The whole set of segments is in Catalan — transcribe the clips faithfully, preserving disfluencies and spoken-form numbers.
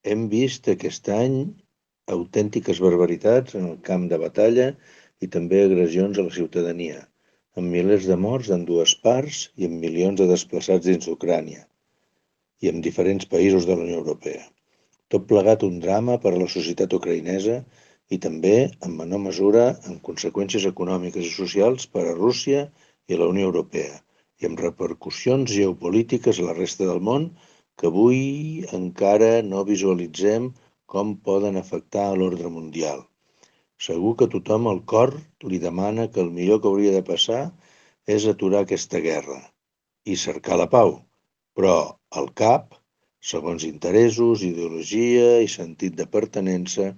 Hem vist aquest any autèntiques barbaritats en el camp de batalla i també agressions a la ciutadania, amb milers de morts en dues parts i amb milions de desplaçats dins d'Ucrània i en diferents països de la Unió Europea. Tot plegat un drama per a la societat ucraïnesa i també, en menor mesura, amb conseqüències econòmiques i socials per a Rússia i la Unió Europea i amb repercussions geopolítiques a la resta del món que avui encara no visualitzem com poden afectar a l'ordre mundial. Segur que tothom al cor li demana que el millor que hauria de passar és aturar aquesta guerra i cercar la pau, però al cap, segons interessos, ideologia i sentit de pertinença,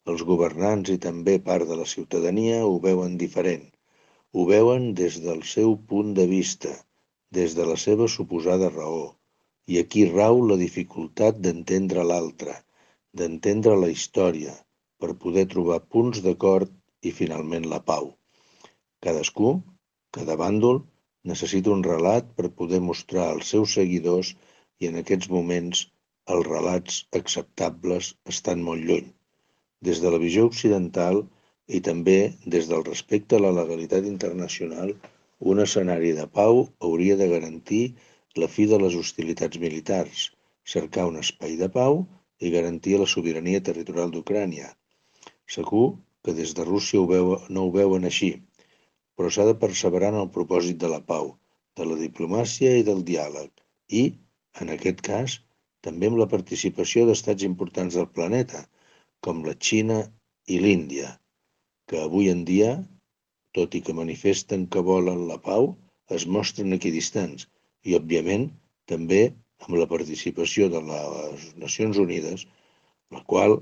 els governants i també part de la ciutadania ho veuen diferent. Ho veuen des del seu punt de vista, des de la seva suposada raó. I aquí rau la dificultat d'entendre l'altre, d'entendre la història, per poder trobar punts d'acord i finalment la pau. Cadascú, cada bàndol, necessita un relat per poder mostrar als seus seguidors i en aquests moments els relats acceptables estan molt lluny. Des de la visió occidental i també des del respecte a la legalitat internacional, un escenari de pau hauria de garantir la fi de les hostilitats militars, cercar un espai de pau i garantir la sobirania territorial d'Ucrània. Segur que des de Rússia ho veu, no ho veuen així, però s'ha de perseverar en el propòsit de la pau, de la diplomàcia i del diàleg, i, en aquest cas, també amb la participació d'estats importants del planeta, com la Xina i l'Índia, que avui en dia, tot i que manifesten que volen la pau, es mostren equidistants i, òbviament, també amb la participació de les Nacions Unides, la qual,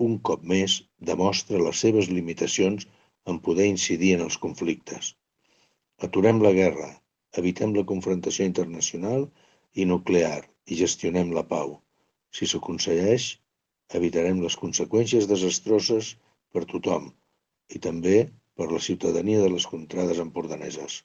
un cop més, demostra les seves limitacions en poder incidir en els conflictes. Aturem la guerra, evitem la confrontació internacional i nuclear i gestionem la pau. Si s'aconsegueix, evitarem les conseqüències desastroses per tothom i també per la ciutadania de les contrades empordaneses.